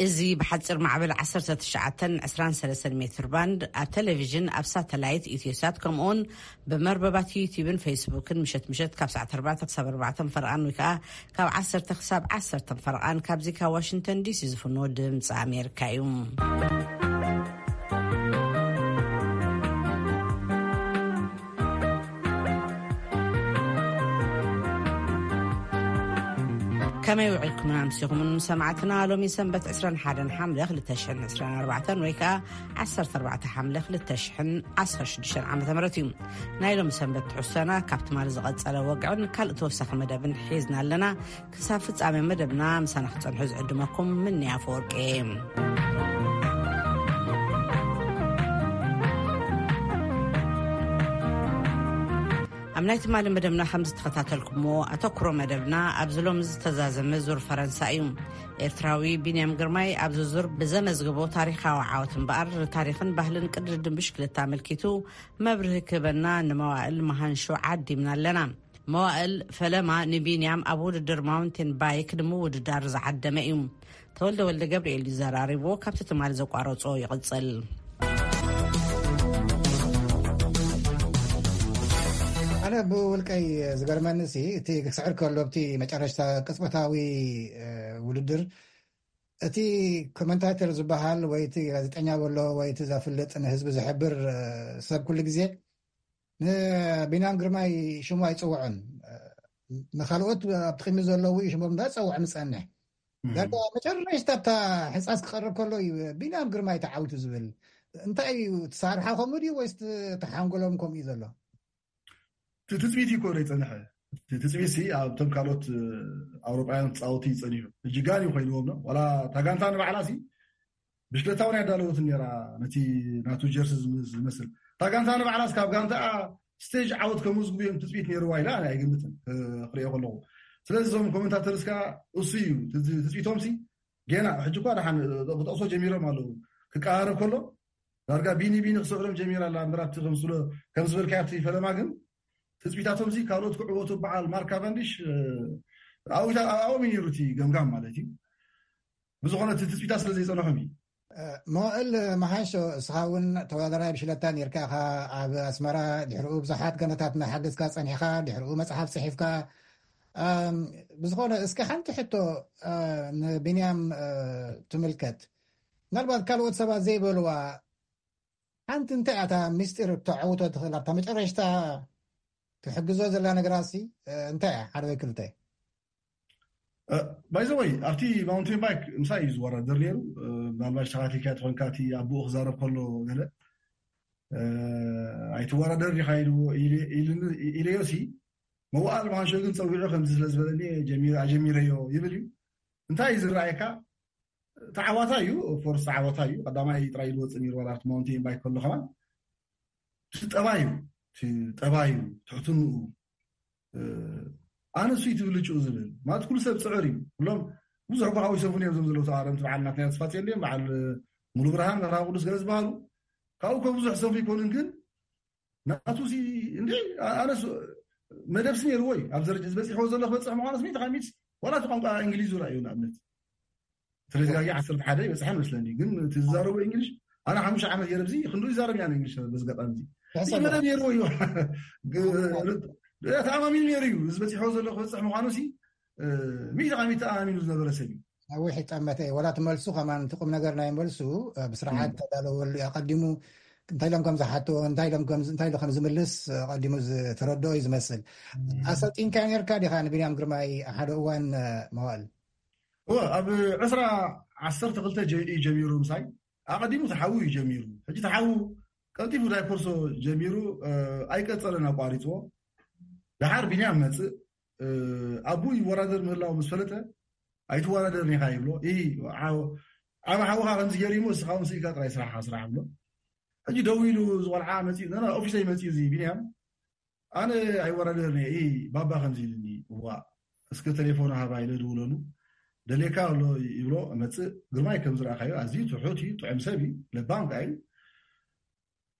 እዚ ብሓጺር ማዕበል ዓሰርተ ትሽዓተን ዕስራን ሰለስተን ሜትር ባንድ፣ ኣብ ቴሌቪዥን፣ ኣብ ሳተላይት፣ ኢትዮሳት፣ ከምኡውን ብመርበባት ዩቲዩብን ፌስቡክን ምሸት ምሸት ካብ ሰዓት ኣርባዕተ ክሳብ ኣርባዕተ ፈረቓን፣ ወይ ከዓ ካብ ዓሰርተ ክሳብ ዓሰርተ ፈረቓን፣ ካብዚ ካብ ዋሽንግተን ዲሲ ዝፍኖ ድምፂ ኣሜሪካ እዩ። ከመይ ውዒልኩምን ኣምሲኹምን ሰማዕትና? ሎሚ ሰንበት ዕስራን ሓደን ሓምለ ክልተ ሽሕን ዕስራን ኣርባዕተን፣ ወይ ከዓ ዓሰርተ ኣርባዕተ ሓምለ ክልተ ሽሕን ዓሰርተ ሽዱሽተን ዓመተ ምህረት እዩ። ናይ ሎሚ ሰንበት ትሕዝቶና ካብ ትማሊ ዝቐጸለ ወግዕን ካልእ ተወሳኺ መደብን ሒዝና ኣለና። ክሳብ ፍጻሜ መደብና ምሳና ክትጸንሑ ዝዕድመኩም ምንያ ኣፈወርቂ እየ። ኣብ ናይ ትማሊ መደብና ከም ዝተኸታተልኩሞ፣ ኣተኩሮ መደብና ኣብዚ ሎሚ ዝተዛዘመ ዙር ፈረንሳ እዩ። ኤርትራዊ ቢንያም ግርማይ ኣብዚ ዙር ብዘመዝግቦ ታሪኻዊ ዓወት እምበኣር፣ ንታሪኽን ባህልን ቅድድም ብሽክለታ ኣመልኪቱ መብርሂ ክህበና ንመዋእል መሃንሾ ዓዲምና ኣለና። መዋእል፣ ፈለማ ንቢንያም ኣብ ውድድር ማውንቴን ባይክ ንምውድዳር ዝዓደመ እዩ። ተወልደ ወልደ ገብርኤል እዩ ዘራሪቦ፣ ካብቲ ትማሊ ዘቋረጾ ይቕጽል። ኣነ ብውልቀይ ዝገርመኒ ሲ፣ እቲ ክስዕር ከሎ፣ ኣብቲ መጨረሽታ ቅጽበታዊ፣ እ፣ ውድድር፣ እቲ ኮመንታተር ዝበሃል ወይ እቲ ጋዜጠኛ በሎ ወይ እቲ ዘፍልጥ ንህዝቢ ዝሕብር፣ እ፣ ሰብ ኩሉ ግዜ ንቢንያም ግርማይ ሽሙ ኣይጽውዕን። እ፣ ንኻልኦት ኣብቲ ቅድሚ ዘለዉ እዩ ሽሞም እንዳጸውዕ ምጸንሕ። እም። ዳርጋ መጨረሽታ ኣብታ ሕንጻስ ክቐርብ ከሎ እዩ ቢንያም ግርማይ ተዓዊቱ ዝብል። እንታይ እዩ፣ ትሳርሓ ከምኡ ድዩ ወይስ ት-፣ ተሓንጎሎም ከምኡ እዩ ዘሎ? እቲ ትጽቢት እዩ እኮ ዘይጸንሐ። እቲ ትጽቢት ሲ ኣብቶም ካልኦት፣ እ፣ ኣውሮጳውያን ተጻወቲ እዩ ጸኒሑ። ሕጂ ጋን እዩ ኮይንዎም ነው። ዋላ እታ ጋንታ ንባዕላ ሲ ብሽክለታ እውን ያዳለወትን ነራ፣ ነቲ ናቱ ጀርሲ ዝም-፣ ዝመስል። እታ ጋንታ ንባዕላስ ካብ ጋንታኣ ስቴጅ ዓወት ከምዝግቡ እዮም ትጽቢት ነይርዋ ኢላ ኣነ ኣይግምትን፣ እ፣ ክሪኦ ከለኹ። ስለዚ እዞም ኮመንታተርስ ከኣ እሱ እዩ ትዝ-፣ ትጽቢቶም ሲ ገና ሕጂ እኳ ደሓን፣ እ፣ ክጠቕሶ ጀሚሮም ኣለዉ። ክቀራረብ ከሎ ዳርጋ ቢኒ ቢኒ ክስዕሮም ጀሚራ ኣላ እምበር፣ ኣብቲ ከም ዝብሎ-፣ ከም ዝበልካዮ ኣብቲ ፈለማ ግን ትጽቢታቶም ሲ ካልኦት ክዕወቱ በዓል ማርክ ካቨንዲሽ፣ እ፣ ኣብኡ ኢታ-፣ ኣብኦም እዩ ነይሩ እቲ ገምጋም ማለት እዩ። ብዝኾነ እቲ ትጽቢታት ስለ ዘይጸንሖም እዩ። እ፣ መዋእል መሓንሾ፣ እስኻ እውን ተወዳዳራይ ብሽለታ ነርካ ኢኻ ኣብ ኣስመራ። ድሕሪኡ ብዙሓት ገነታት እናሓገዝካ ጸኒሕካ፣ ድሕሪኡ መጽሓፍ ጽሒፍካ። እም፣ ብዝኾነ እስኪ ሓንቲ ሕቶ፣ እ፣ ንቢንያም፣ እ፣ ትምልከት። ምናልባት ካልኦት ሰባት ዘይበልዋ ሓንቲ እንታይ እያ እታ ምስጢር እተዕውቶ ትኽእል ኣብታ መጨረሽታ ክሕግዞ ዘላ ነገራሲ፣ እ፣ እንታይ እያ? ሓደ ወይ ክልተ? እ፣ by the way፣ ኣብቲ ማውንቴን ባይክ ምሳይ እዩ ዝወዳደር ነይሩ። እ፣ ምናልባት ተኸታቲልካ ተኾንካ፣ እቲ ኣቦኡ ክዛረብ ከሎ ገለ፣ እ፣ "ኣይትወዳደር ዲኻ?" ኢልዎ፣ ኢለ-፣ ኢልኒ-፣ ኢለዮ ሲ፣ መዋእል መሃንሾ ግን ጸዊዑ ከምዚ ስለ ዝበለኒ ጀሚረ-፣ ኣጀሚረዮ ይብል እዩ። እንታይ እዩ ዝረኣየካ? ተዓዋታይ እዩ፣ ኦፍኮርስ ተዓዋታይ እዩ። ቀዳማይ ጥራይ ዝወጽእ ነይሩ፣ ዋላ ኣብቲ ማውንቴን ባይክ ከሎ ከማን። እቲ ጠባዩ፣ እቲ ጠባዩ፣ ትሕትንኡ፣ እ፣ ኣነ እሱ እዩ ትብልጭኡ ዝብል። ማለት ኩሉ ሰብ ጽዕር እዩ። ኩሎም ብዙሕ እኮ ካብኡ ይሰንፉ እዮም፣ እዞም ዘለዉ ተቓረምቲ በዓል ናትናኤል ተስፋጽዮን ድዮም፣ በዓል ሙሉ ብርሃን፣ መርሃዊ ቅዱስ ገለ ዝበሃሉ። ካብኡ እኮ ብዙሕ ዝሰንፉ ኣይኮኑን፣ ግን ናቱ ሲ እንዴ፣ ኣ-፣ ኣነስ መደብስ ነይርዎ እዩ። ኣብ ደረጃ ዝበጽሕዎ ዘሎ ክበጽሕ ምዃኑስ ሚእቲ ካብ ሚእቲ፣ ዋላ እቲ ቋንቋ እንግሊዝ ራእዩ ንኣብነት። ተደጋጊ ዓሰርተ ሓደ ይበጽሐ መስለኒ፣ ግን እቲ ዝዛረቦ እንግሊሽ፣ ኣነ ሓሙሽተ ዓመት ገይረ ብዚ ክንዱ ይዛረብ እያ እንግሊሽ። በዚ ኣጋጣሚ እዚ፣ እዚ ሕሰብ መደብ ነይርዎ እዩ። ግ-፣ ተኣማሚኑ ነይሩ እዩ። እዚ በጺሕዎ ዘሎ ክበጽሕ ምዃኑ ሲ፣ እ፣ ሚእቲ ካብ ሚእቲ ተኣማሚኑ ዝነበረ ሰብ እዩ። ነዊሕ ይጠመተ እዩ። ዋላ እቲ መልሱ ከማን፣ እቲ ቁም ነገር ናይ መልሱ፣ እ፣ ብስርዓት እም። ተዳለወሉ እዩ። ኣቐዲሙ እንታይ ኢሎም ከም ዝሓትዎ፣ እንታይ ኢሎም ከም ዝ-፣ እንታይ ኢሉ ከም ዝምልስ፣ እ፣ ኣቐዲሙ ዝተረድኦ እዩ ዝመስል። እም። ኣሰልጢንካ ነርካ ዲኻ ንቢንያም ግርማይ ሓደ እዋን፣ እ፣ መዋእል? እወ፣ ኣብ ዕስራ ዓሰርተ ክልተ ጀ-፣ እዩ ጀሚሩ ምሳይ። ኣቐዲሙ ተሓዉ እዩ ጀሚሩ። ሕጂ ተሓዉ ቀልጢፉ ዳይኮርሶ ጀሚሩ፣ እ፣ ኣይቀጸለን፣ ኣቋሪጽዎ። ደሓር ቢንያም መጽእ፣ እ፣ ኣቡ ይወዳደር ምህላው ምስ ፈለጠ፣ "ኣይትወዳደርን ኢኻ" ይብሎ። "ኢ፣ ዓው-፣ ዓብ ሓውኻ ከምዚ ገይሩ እሞ፣ እስኻ እውን ስኢልካ ጥራይ ስራሕኻ ስራሕ" ብሎ። ሕጂ ደው ኢሉ፣ እዚ ቆልዓ መጺኡ፣ "ና፣ ና፣ ኦፊሰይ መጺኡ እዚ ቢንያም፣ ኣነ ኣይወዳደርን እየ፣ ኢ፣ ባባ ከምዚ ኢሉኒ።" "እዋ፣ እስከ ቴሌፎን ሃባ" ኢለ ድውለሉ። "ደልየካ ኣሎ" ይብሎ፣ መጽእ። ግርማይ ከም ዝረኣኻዮ ኣዝዩ ትሑት እዩ፣ ጥዑም ሰብ እዩ፣ ለባም ከኣ እዩ።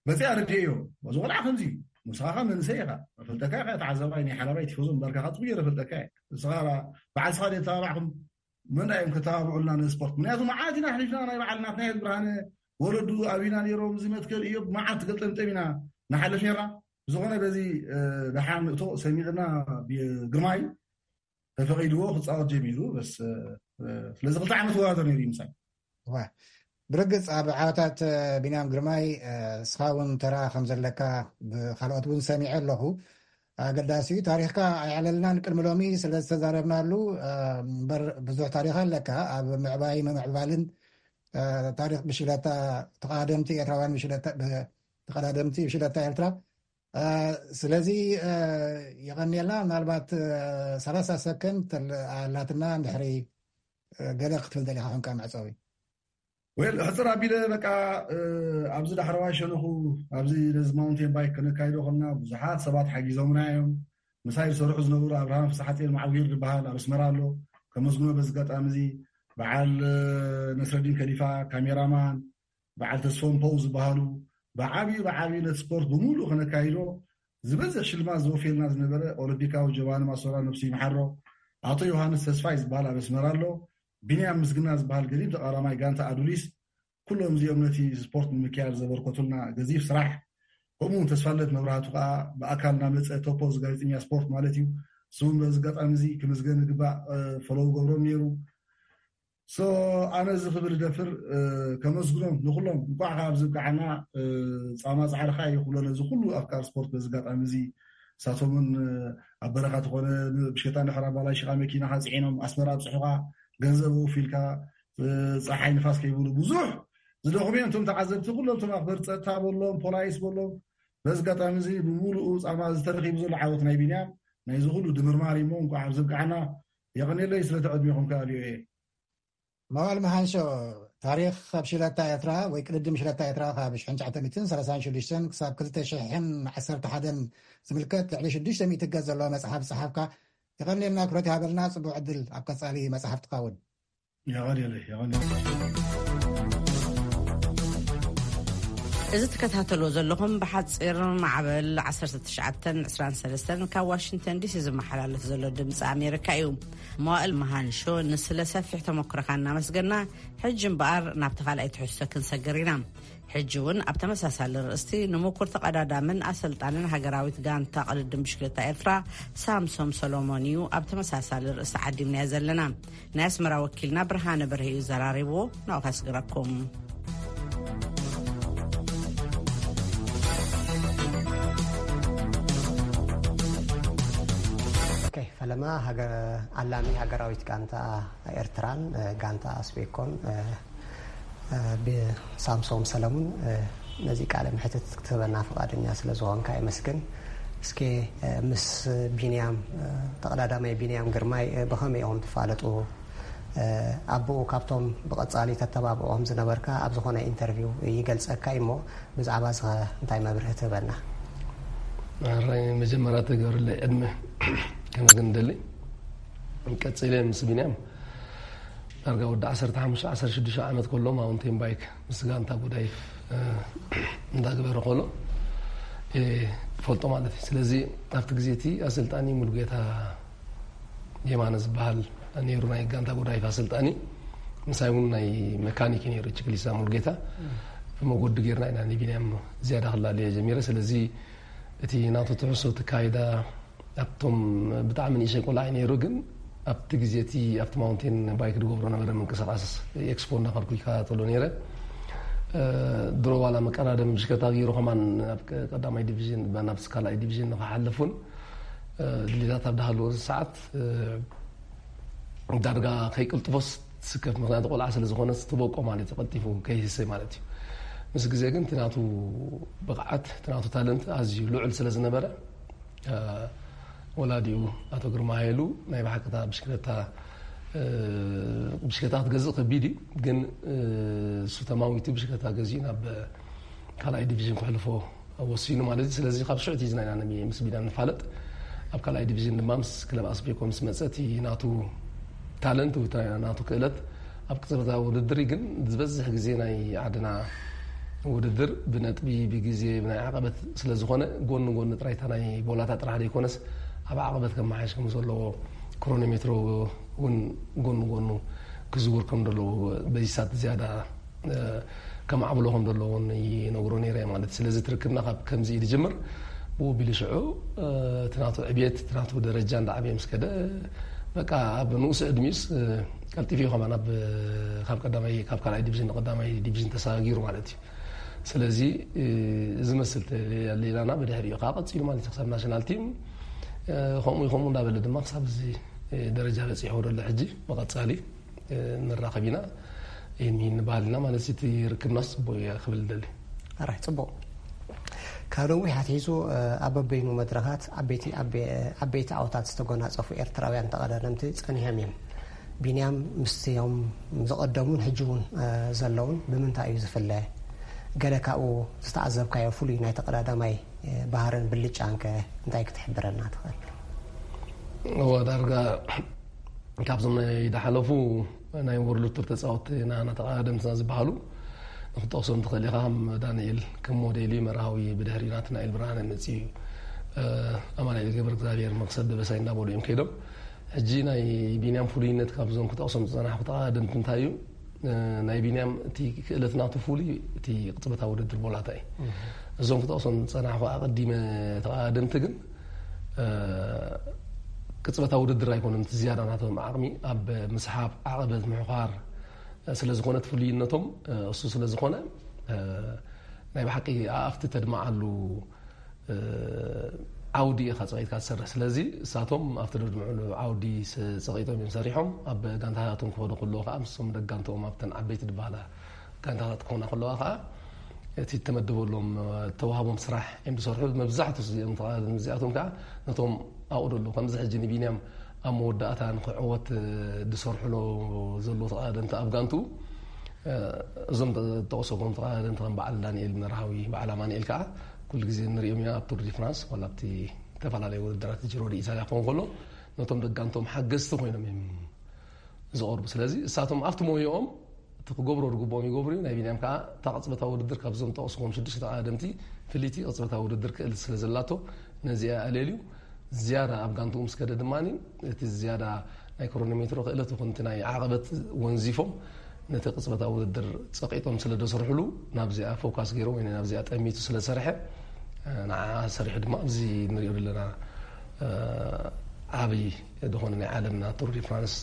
መጺኣ ኣረዲኤዮ። እዚ ቆልዓ ከምዚ እዩ። ንስኻ ኸኣ መንእሰይ ኢኻ። እፈልጠካ እየ፣ ተዓዛባይ ናይ ሓላባይ ቲፎዞ ምባልካ ኸኣ ጽቡቕ ገይረ እፈልጠካ እየ። ንስኻ በዓል ስኻ ድየ ተባባዕኩም? መን እዮም ከተባብዑልና ነዚ ስፖርት? ምክንያቱ መዓት ኢና ኣሕሊፍና፣ ናይ በዓል ናትናኤል ብርሃነ ወለዱ ኣቢና ነይሮም፣ እዚ መትከል እዮብ መዓት ገጠምጠም ኢና ንሓልፍ ነርና። ብዝኾነ በዚ ደሓን ንእቶ ሰሚዕና ግርማይ ተፈቒድዎ ክፃወት ጀሚሩ። ስለዚ ክልተ ዓመት ወዳደር ነይሩ ይምሳይ። ብርግፅ ኣብ ዓወታት ቢንያም ግርማይ እስኻ እውን ተራ ከም ዘለካ ብካልኦት እውን ሰሚዐ ኣለኹ። ኣገዳሲ እዩ። ታሪኽካ ኣይዕለልናን ቅድሚ ሎሚ ስለ ዝተዛረብናሉ እምበር ብዙሕ ታሪኽ ኣለካ ኣብ ምዕባይ ምምዕባልን ታሪኽ ብሽለታ ተቐዳደምቲ ኤርትራውያን ተቐዳደምቲ ብሽለታ ኤርትራ። ስለዚ የቐንየልና። ምናልባት ሰላሳ ሰከንድ ኣላትና እንድሕሪ ገለ ክትብል ደሊኻ ኮንካ መዕጸዊ። ወል ሕፅር ኣቢለ በቃ ኣብዚ ዳሕረዋይ ሸነኹ ኣብዚ ነዚ ማውንቴን ባይክ ከነካይዶ ከለና ብዙሓት ሰባት ሓጊዞምና እዮም። ምሳይ ዝሰርሑ ዝነበሩ ኣብርሃም ፍስሓጽዮን ማዕዊር ዝበሃል ኣብ ኣስመራ ኣሎ፣ ከመስግኖ በዚ ኣጋጣሚ እዚ። በዓል ነስረዲን ከሊፋ ካሜራማን፣ በዓል ተስፎም ፖው ዝበሃሉ ብዓብዩ ብዓብዩ ነቲ ስፖርት ብምሉእ ከነካይዶ ዝበዝሕ ሽልማት ዘወፍየልና ዝነበረ ኦሎምፒካዊ ጀባኒ ማሶራ ነብሱ ይምሓሮ፣ ኣቶ ዮሃንስ ተስፋይ ዝበሃል ኣብ ኣስመራ ኣሎ፣ ቢንያም ምስግና ዝበሃል ገዲም ተቓዳማይ ጋንታ ኣዱሊስ፣ ኩሎም እዚኦም ነቲ ስፖርት ንምክያድ ዘበርከቱልና ገዚፍ ስራሕ። ከምኡ እውን ተስፋለት መብራህቱ ከዓ ብኣካል እናመፀ ቶፖ እዚ ጋዜጠኛ ስፖርት ማለት እዩ። ስውን በዚ ኣጋጣሚ እዚ ክምስገን ዝግባእ ፈለው ገብሮም ነይሩ። ሶ ኣነ እዚ ክብል ደፍር ከመስግኖም ንኩሎም እንኳዕ ካብ ዝብቃዓና ፃማ ፃዕርካ ይክብሎ ነዚ ኩሉ ኣፍቃር ስፖርት በዚ ኣጋጣሚ እዚ እሳቶምን ኣብ በረኻ ተኾነ ብሽታ ንሕራ ባላ ሽቃ መኪናካ ፅዒኖም ኣስመራ ኣብፅሑካ ገንዘብ ኣውፊልካ ፀሓይ ንፋስ ከይብሉ ብዙሕ ዝደኹም እዮም። እቶም ተዓዘብቲ ኩሎም እቶም ኣክበር ፀጥታ በሎም ፖላይስ በሎም በዚ ኣጋጣሚ እዚ ብምሉኡ ፃማ ዝተረኪቡ ዘሎ ዓወት ናይ ቢንያም ናይዚ ኩሉ ድምርማር እሞ እንኳዕ ኣብ ዝብቃዓና የቐኔለይ ስለቲ ዕድሜኹም ከኣልዮ እየ። መዋል መሃንሾ ታሪኽ ካብ ሽለታ ኤርትራ ወይ ቅድድም ሽለታ ኤርትራ ካብ ሽሕን ትሽዓተ ሚእትን ሰላሳን ሽዱሽተን ክሳብ ክልተ ሽሕን ዓሰርተ ሓደን ዝምልከት ልዕሊ ሽዱሽተ ሚእቲ ገጽ ዘለዎ መጽሓፍ ዝጸሓፍካ የቐንየልና ክብረት ይሃበልና። ጽቡቕ ዕድል ኣብ ቀጻሊ መጽሓፍትኻ እውን። የቐንየለይ፣ የቐንየለይ። እዚ ትከታተልዎ ዘለኹም ብሓፂር ማዕበል ዓሰርተ ትሽዓተን ዕስራን ሰለስተን ካብ ዋሽንግተን ዲሲ ዝመሓላለፍ ዘሎ ድምፂ ኣሜሪካ እዩ። መዋእል መሃንሾ ንስለ ሰፊሕ ተመክሮኻ እናመስገና፣ ሕጂ እምበኣር ናብቲ ካልኣይ ትሕዝቶ ክንሰግር ኢና። ሕጂ እውን ኣብ ተመሳሳሊ ርእስቲ ንምኩር ተቐዳዳምን ኣሰልጣንን ሃገራዊት ጋንታ ቅድድም ብሽክለታ ኤርትራ ሳምሶም ሰሎሞን እዩ ኣብ ተመሳሳሊ ርእስቲ ዓዲምናዮ ዘለና። ናይ ኣስመራ ወኪልና ብርሃነ በርሄ እዩ ዘራሪብዎ። ናብኡ ከስግረኩም። ፈለማ ኣለሚ ሃገራዊት ጋንታ ኤርትራን ጋንታ ኣስቤኮን ብሳምሶም ሰለሙን ነዚ ቃለ መሕትት ክትህበና ፍቓደኛ ስለ ዝኾንካ የመስግን። እስኪ ምስ ቢንያም ተቐዳዳማይ ቢንያም ግርማይ ብኸመይ ኢኹም ትፋለጡ? ኣቦኡ ካብቶም ብቐጻሊ ተተባብዖም ዝነበርካ ኣብ ዝኾነ ኢንተርቪው ይገልጸካ እዩ እሞ ብዛዕባ እዚ እንታይ መብርሂ ትህበና? መጀመርያ ተገብርለይ ዕድመ ከመስግን ደሊ። ቀጺለ ምስ ቢንያም ዳርጋ ወዲ ዓሰርተ ሓሙሽተ ዓሰርተ ሽዱሽተ ዓመት ከሎ ማውንቴን ባይክ ምስ ጋንታ ጉዳይፍ እንዳገበረ ከሎ ፈልጦ ማለት እዩ። ስለዚ ኣብቲ ግዜ እቲ ኣሰልጣኒ ሙሉጌታ የማነ ዝበሃል ነይሩ፣ ናይ ጋንታ ጉዳይፍ ኣሰልጣኒ። ምሳይ እውን ናይ መካኒክ ነይሩ፣ ችክሊሳ ሙሉጌታ። መጎዲ ጌርና ኢና ንቢንያም ዝያዳ ክላለየ ጀሚረ። ስለዚ እቲ ናቱ ትሕሶ፣ እቲ ካይዳ ኣብቶም ብጣዕሚ ንእሽተይ ቆልዓ እዩ ነይሩ፣ ግን ኣብቲ ግዜ እቲ ኣብቲ ማውንቴን ባይክ ዝገብሮ ነበረ ምንቅስቃስ ኤክስፖ እንዳኸድኩ ይከታተሎ ነይረ። ድሮ ዋላ መቀዳደሚ ብሽክለታ ገይሩ ከማን ናብ ቀዳማይ ዲቪዥን ናብ ካልኣይ ዲቪዥን ንክሓልፍ እውን ድሌታት ኣብ ዳሃለዎ ሰዓት ዳርጋ ከይቅልጥፎስ ትስከፍ፣ ምክንያቱ ቆልዓ ስለ ዝኾነ ትበቆ ማለት እዩ፣ ቀልጢፉ ከይህሰ ማለት እዩ። ምስ ግዜ ግን እቲ ናቱ ብቕዓት እቲ ናቱ ታለንት ኣዝዩ ልዑል ስለ ዝነበረ ወላዲኡ ኣቶ ግርማ ሃይሉ ናይ ብሓቅታ ብሽክለታ ብሽክለታ ክትገዝእ ከቢድ እዩ፣ ግን እሱ ተማዊቱ ብሽክለታ ገዚኡ ናብ ካልኣይ ዲቪዥን ክሕልፎ ወሲኑ ማለት እዩ። ስለዚ ካብ ሽዑ ኣትሒዝና ኢና ምስ ቢንያም ንፋለጥ። ኣብ ካልኣይ ዲቪዥን ድማ ምስ ክለብ ኣስቤኮ ምስ መጸ እቲ ናቱ ታለንት ወይ ናቱ ክእለት ኣብ ቅጽበታዊ ውድድር እዩ። ግን ዝበዝሕ ግዜ ናይ ዓድና ውድድር ብነጥቢ ብግዜ ብናይ ዓቐበት ስለ ዝኾነ ጎኒ ጎኒ ጥራይ እታ ናይ ቦላታ ጥራሕ ዘይኮነስ ኣብ ዓቐበት ከመሓየሽ ከም ዘለዎ ክሮኖሜትሮ እውን ጎን ጎኑ ክዝውር ከም ዘለዎ በዚ ሰዓት ዝያዳ ከማዕብሎ ከም ዘለዎ ይነግሮ ነይረ ማለት እዩ። ስለዚ ትርክብና ካብ ከምዚ እዩ ዝጅምር። ብኡ ቢሉ ሽዑ እቲ ናቱ ዕብየት እቲ ናቱ ደረጃ እንዳዓበየ ምስ ከደ በቃ ኣብ ንኡስ ዕድሚኡስ ቀልጢፉ እዩ ከማን ኣብ ካብ ቀዳማይ ካብ ካልኣይ ዲቪዥን ንቀዳማይ ዲቪዥን ተሰጋጊሩ ማለት እዩ። ስለዚ ዝመስል ሌላና ብድሕሪኡ ከዓ ቀፂሉ ማለት እዩ ክሳብ ናሽናል ቲም ከምኡ ከምኡ እንዳበለ ድማ ክሳብ እዚ ደረጃ በፂሑ ወደሎ ሕጂ ብቐፃሊ ንራኸብ ኢና። ይህን ይህን ንበሃል ኢና ማለት እቲ ርክብናስ ፅቡቅ እያ ክብል ደሊ። ኣራይ ፅቡቅ። ካብ ነዊሕ ኣትሒዙ ኣብ በበይኑ መድረኻት ዓበይቲ ዓበይቲ ዓወታት ዝተጎናፀፉ ኤርትራውያን ተቐዳደምቲ ፀኒሖም እዮም። ቢንያም ምስቲኦም ዝቐደሙን ሕጂ እውን ዘለውን ብምንታይ እዩ ዝፍለ? ገለ ካብኡ ዝተዓዘብካዮ ፍሉይ ናይ ተቐዳዳማይ ባህርን ብልጫንከ እንታይ ክትሕብረና ትኽእል? እወ ዳርጋ ካብዞም ናይ ዝሓለፉ ናይ ወርልድ ቱር ተፃወትቲ ናና ተቐዳደምትና ዝበሃሉ ንክጠቕሶም ትኽእል ኢኻ። ከም ዳንኤል ከም ሞዴል እዩ፣ መርሃዊ ብድሕሪ ናትናኤል ብርሃነ መፅኡ እዩ። ኣማኑኤል ገብረ እግዚኣብሔር መክሰብ ደበሳይ እንዳበሉ እዮም ከይዶም። ሕጂ ናይ ቢንያም ፍሉይነት ካብዞም ክጠቕሶም ዝፀናሕኩ ተቐዳደምቲ እንታይ እዩ? ናይ ቢንያም እቲ ክእለት ናቱ ፍሉይ እቲ ቅፅበታዊ ውድድር ቦላታ እዩ። እዞም ክጠቕሶም ዝፀናሕኩ ኣቐዲመ ተቐዳደምቲ ግን ቅፅበታዊ ውድድር ኣይኮነን እቲ ዝያዳ ናቶም ዓቕሚ ኣብ ምስሓብ ዓቐበት ምሕዃር ስለ ዝኾነ እቲ ፍሉይነቶም እሱ ስለ ዝኾነ ናይ ብሓቂ ኣፍቲ ተድምዓሉ ዓውዲ ኢኻ ፀቒጥካ ትሰርሕ። ስለዚ እሳቶም ኣብቲ ደድምዕሉ ዓውዲ ፀቒጦም እዮም ሰሪሖም። ኣብ ጋንታታቶም ክኸዱ ከለዉ ከዓ ምስቶም ደጋንተኦም ኣብተን ዓበይቲ ድበሃላ ጋንታታት ክኾና ከለዋ ከዓ እቲ ተመደበሎም ተዋህቦም ስራሕ እዮም ዝሰርሑ። መብዛሕቱ እዚኦም ተቓዳደምቲ እዚኣቶም ከዓ ነቶም ኣብኡ ደሎ ከምዚ ሕጂ ንቢንያም ኣብ መወዳእታ ንክዕወት ዝሰርሕሎ ዘሎ ተቓዳደምቲ ኣብ ጋንቱ እዞም ተጠቕሶ ከም ተቐዳደምቲ ከም በዓል ዳንኤል መርሃዊ በዓል ኣማንኤል ከዓ ኩሉ ግዜ ንሪኦም ኢና ኣብ ቱር ዲ ፍራንስ ዋላ ኣብቲ ዝተፈላለዩ ውድድራት ጅሮ ዲ ኢታልያ ክኸውን ከሎ ነቶም ደጋንቶም ሓገዝቲ ኮይኖም እዮም ዝቐርቡ። ስለዚ እሳቶም ኣብቲ ሞያኦም እቲ ክገብሮ ዝግብኦም ይገብሩ እዩ። ናይ ቢንያም ከዓ እታ ቅፅበታዊ ውድድር ካብዞም ጠቕስኹም ሽዱሽተ ተቐዳደምቲ ፍልይቲ ቅፅበታዊ ውድድር ክእል ስለ ዘላቶ ነዚኣ ኣለልዩ ዝያዳ ኣብ ጋንትኡ ምስ ከደ ድማ እቲ ዝያዳ ናይ ክሮኖሜትሮ ክእለት ይኹን እቲ ናይ ዓቐበት ወንዚፎም ነቲ ቅፅበታዊ ውድድር ፀቂጦም ስለ ደሰርሕሉ ናብዚኣ ፎካስ ገይሩ ወይ ናብዚኣ ጠሚቱ ስለ ዝሰርሐ ንዓ ሰሪሑ ድማ ኣብዚ ንሪኦ ዘለና ዓብይ ዝኾነ ናይ ዓለምና ቱር ዲ ፍራንስ